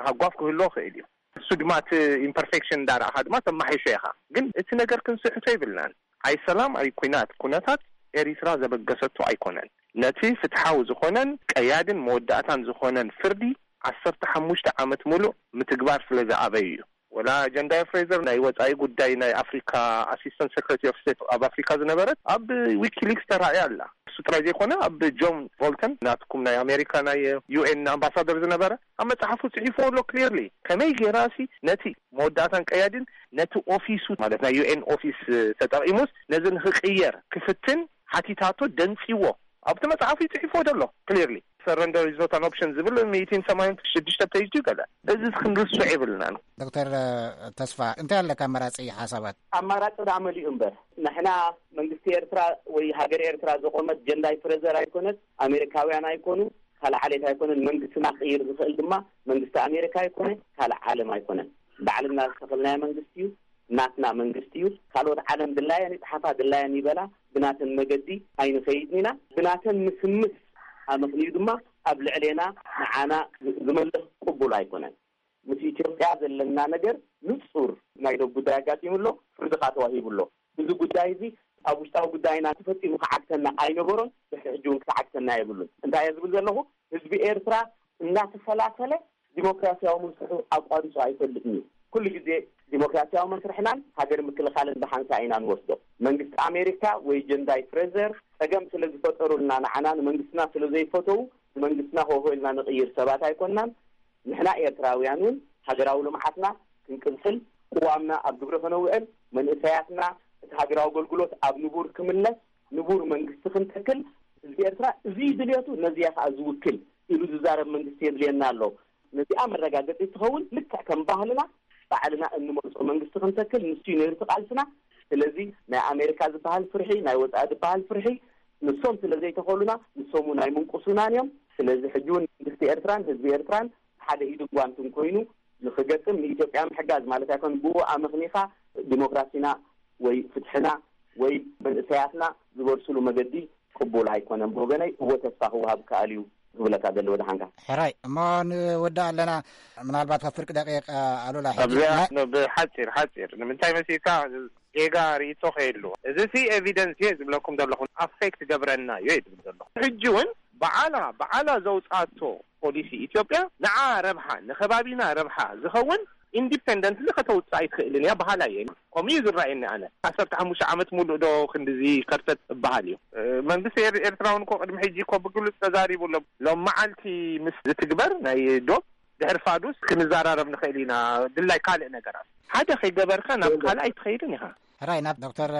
ሃጓፍ ክህልዎ ክእል እዩ። እሱ ድማ እቲ ኢምፐርፌክሽን እንዳረኣኻ ድማ ተማሒሾ ኢኻ። ግን እቲ ነገር ክንስሕቶ ይብልናን። ኣይ ሰላም ኣይ ኩናት ኩነታት ኤሪትራ ዘበገሰቶ ኣይኮነን። ነቲ ፍትሓዊ ዝኾነን ቀያድን መወዳእታን ዝኾነን ፍርዲ ዓሰርተ ሓሙሽተ ዓመት ሙሉእ ምትግባር ስለ ዝኣበዩ እዩ። ወላ ጀንዳይ ፍሬዘር፣ ናይ ወፃኢ ጉዳይ ናይ ኣፍሪካ ኣሲስታንት ሴክሬታሪ ኦፍ ስቴት ኣብ ኣፍሪካ ዝነበረት፣ ኣብ ዊኪሊክስ ተራእያ ኣላ። እሱ ጥራይ ዘይኮነ፣ ኣብ ጆን ቮልተን፣ ናትኩም ናይ ኣሜሪካ ናይ ዩኤን ኣምባሳደር ዝነበረ፣ ኣብ መፅሓፉ ፅሒፍዎ ኣሎ ክሊርሊ። ከመይ ጌራ ሲ ነቲ መወዳእታን ቀያዲን ነቲ ኦፊሱ፣ ማለት ናይ ዩኤን ኦፊስ ተጠቂሙስ ነዚ ንክቅየር ክፍትን ሓቲታቶ፣ ደንፂዎ። ኣብቲ መፅሓፉ ይፅሒፍዎ ዘሎ ክሊርሊ። ሰረንደር ኢዝ ኖት ኣን ኦፕሽን ዝብል ሚእትን ሰማንያን ሽዱሽተ ፔጅ ድዩ ገለ? እዚ ክንርስዖ የብልናን። ዶክተር ተስፋ፣ እንታይ ኣለካ ኣማራፂ ሓሳባት? ኣማራፂ ደኣ መሊኡ እምበር፣ ንሕና መንግስቲ ኤርትራ ወይ ሃገር ኤርትራ ዘቆመት ጀንዳይ ፍሬዘር ኣይኮነት፣ ኣሜሪካውያን ኣይኮኑ፣ ካልእ ዓሌት ኣይኮነን። መንግስትና ክቕይር ዝኽእል ድማ መንግስቲ ኣሜሪካ ኣይኮነ፣ ካልእ ዓለም ኣይኮነን። ባዕልና ዝተኸልናዮ መንግስቲ እዩ፣ ናትና መንግስቲ እዩ። ካልኦት ዓለም ድላየን ይጽሓፋ፣ ድላየን ይበላ፣ ብናተን መገዲ ኣይንኸይድን ኢና። ብናተን ምስምስ ኣመኽንዩ ድማ ኣብ ልዕሌና ንዓና ዝመልኽ ቅቡል ኣይኮነን። ምስ ኢትዮጵያ ዘለና ነገር ንጹር ናይ ዶብ ጉዳይ ኣጋጢሙ ኣሎ፣ ፍርዲ ከኣ ተዋሂቡ ኣሎ። እዚ ጉዳይ እዚ ኣብ ውሽጣዊ ጉዳይና ተፈጺሙ ክዓግተና ኣይነበሮን፣ ድሕሪ ሕጂ እውን ክዓግተና የብሉን። እንታይ እየ ዝብል ዘለኹ? ህዝቢ ኤርትራ እናተፈላፈለ ዲሞክራሲያዊ መስርሑ ኣቋሪጹ ኣይፈልጥን እዩ። ኩሉ ግዜ ዲሞክራሲያዊ መስርሕናን ሃገር ምክልኻልን ብሓንሳእ ኢና ንወስዶ። መንግስቲ ኣሜሪካ ወይ ጀንዳይ ፍሬዘር ጸገም ስለ ዝፈጠሩልና፣ ንዓና ንመንግስትና ስለ ዘይፈተዉ፣ ንመንግስትና ሆሆ ኢልና ንቕይር ሰባት ኣይኮንናን። ንሕና ኤርትራውያን እውን ሃገራዊ ልምዓትና ክንቅጽል፣ ቅዋምና ኣብ ግብሪ ከነውዕል፣ መንእሰያትና እቲ ሃገራዊ ኣገልግሎት ኣብ ንቡር ክምለስ፣ ንቡር መንግስቲ ክንተክል፣ ህዝቢ ኤርትራ እዚ ድልየቱ ነዚያ ከኣ ዝውክል ኢሉ ዝዛረብ መንግስቲ የድልየና ኣሎ። ነዚኣ መረጋገጺ ትኸውን፣ ልክዕ ከም ባህልና ባዕልና እንመርጾ መንግስቲ ክንተክል፣ ንሱ እዩ ነይሩ እቲ ቃልስና። ስለዚ ናይ ኣሜሪካ ዝበሃል ፍርሒ፣ ናይ ወጻኢ ዝበሃል ፍርሒ፣ ንሶም ስለ ዘይተኸሉና፣ ንሶም እውን ኣይምንቁሱናን እዮም። ስለዚ ሕጂ እውን መንግስቲ ኤርትራን ህዝቢ ኤርትራን ሓደ ኢድን ጓንትን ኮይኑ ንክገጥም፣ ንኢትዮጵያ ምሕጋዝ ማለት ኣይኮን። ብኡ ኣመኽኒኻ ዲሞክራሲና ወይ ፍትሕና ወይ መንእሰያትና ዝበርስሉ መገዲ ቅቡል ኣይኮነን። ብወገነይ እወ፣ ተስፋ ክወሃብ ከኣል እዩ ክብለካ ደሊ ወደሓንካ። ሕራይ እሞ ንወዳእ ኣለና። ምናልባት ካብ ፍርቂ ደቂቕ ኣሉላ፣ ሕጂ ኣብዚኣ ናይ ኖ፣ ብሓፂር ሓፂር ንምንታይ መሲልካ ጌጋ ርእይቶ ከየሉ፣ እዚ ሲ ኤቪደንስ እየ ዝብለኩም ዘለኹ፣ ኣፌክት ገብረና እዩ ዝብል ዘለኹ። ሕጂ እውን በዓላ በዓላ ዘውፃቶ ፖሊሲ ኢትዮጵያ ንዓ ረብሓ፣ ንከባቢና ረብሓ ዝኸውን ኢንዲፔንደንትሊ ከተውፅእ ኣይትኽእልን እያ በሃላ እየ። ከምኡ እዩ ዝረኣየኒ ኣነ። ዓሰርተ ሓሙሽተ ዓመት ሙሉእ ዶ ክንድዚ ከርተት እበሃል እዩ? መንግስቲ ኤር- ኤርትራ እውን እኮ ቅድሚ ሕጂ እኮ ብግሉፅ ተዛሪቡ ኣሎ። ሎም መዓልቲ ምስ ዝትግበር ናይ ዶብ ድሕሪ ፋዱስ ክንዘራረብ ንኽእል ኢና። ድላይ ካልእ ነገራት ሓደ ከይገበርካ ናብ ካልኣይ ትኸይድን ኢኻ። ሕራይ ናብ ዶክተር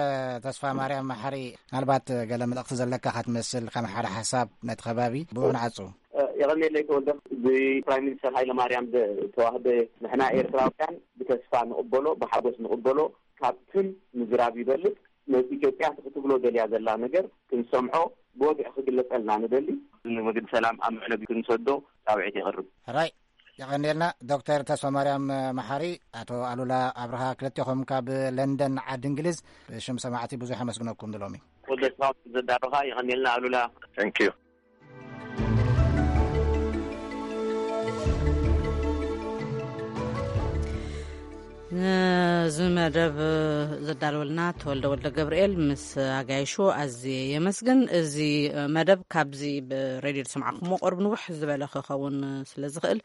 ተስፋ ማርያም መሓሪ፣ ምናልባት ገለ መልእኽቲ ዘለካ ከትመስል፣ ከም ሓደ ሓሳብ ነቲ ከባቢ ብኡ ንዓጹ። የቐኔለይ ተወልደ። ብፕራይም ሚኒስተር ሃይለ ማርያም ዝተዋህበ፣ ንሕና ኤርትራውያን ብተስፋ ንቕበሎ፣ ብሓጎስ ንቕበሎ። ካብትን ምዝራብ ይበልጽ። ነቲ ኢትዮጵያ ክትብሎ ደልያ ዘላ ነገር ክንሰምዖ፣ ብወግዒ ክግለጸልና ንደሊ። ንመገዲ ሰላም ኣብ ምዕለቢ ክንሰዶ ጻውዒት የቕርብ። ሕራይ፣ የቐንየልና ዶክተር ተስፋ ማርያም መሓሪ፣ ኣቶ ኣሉላ ኣብርሃ፣ ክልቴኹም ካብ ለንደን ዓዲ እንግሊዝ፣ ብሽም ሰማዕቲ ብዙሕ ኣመስግነኩም ድሎሚ። ወደስኻ ዘዳረኻ የቐንየልና ኣሉላ። Thank you። ነዚ መደብ ዘዳለወልና ተወልደ ወልደ ገብርኤል ምስ ኣጋይሹ ኣዝየ የመስግን። እዚ መደብ ካብዚ ብሬድዮ ዝሰማዕኩምዎ ቅርብ ንውሕ ዝበለ ክኸውን ስለ ዝኽእል፣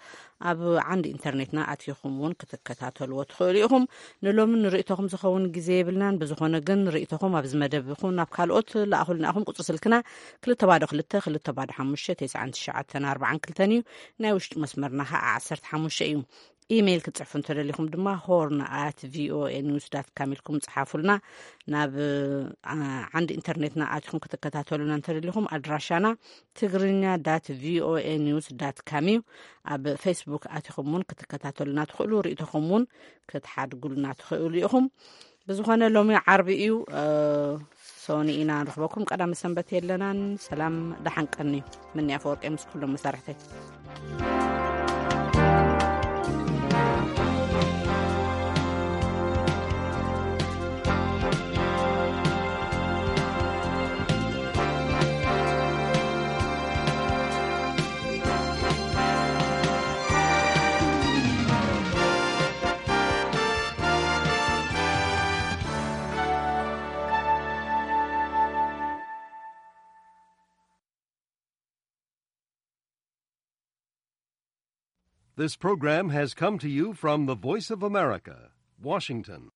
ኣብ ዓንዲ ኢንተርኔትና ኣቲኹም እውን ክትከታተልዎ ትኽእሉ ኢኹም። ንሎሚ ንርእይቶኹም ዝኸውን ግዜ የብልናን። ብዝኾነ ግን ርእይቶኹም ኣብዚ መደብ ይኹን ናብ ካልኦት ለኣኹልና ኢኹም። ቁጽሪ ስልክና ክልተ ባዶ ክልተ፣ ክልተ ባዶ ሓሙሽተ፣ ተስዓን ትሽዓተን ኣርባዓን ክልተን እዩ። ናይ ውሽጢ መስመርና ኸዓ ዓሰርተ ሓሙሽተ እዩ። ኢሜይል ክትጽሕፉ እንተደሊኹም ድማ ሆርን ኣት ቪኦኤ ኒውስ ዳት ካም ኢልኩም ጽሓፉልና። ናብ፣ ዓ-፣ ዓንዲ ኢንተርኔትና ኣቲኹም ክትከታተሉና እንተደሊኹም ኣድራሻና ትግርኛ ዳት ቪኦኤ ኒውስ ዳት ካም እዩ። ኣብ ፌስቡክ ኣቲኹም እውን ክትከታተሉና ትኽእሉ፣ ርእይቶኹም እውን ክትሓድጉልና ትኽእሉ ኢኹም። ብዝኾነ ሎሚ ዓርቢ እዩ፣ እ፣ ሶኒ ኢና ንረኽበኩም። ቀዳመ ሰንበት የለናን። ሰላም፣ ደሓን ቀኒ። ምንያ ኣፈወርቂ ምስ ኩሎም መሳርሕተይ። This program has come to you from the Voice of America, Washington.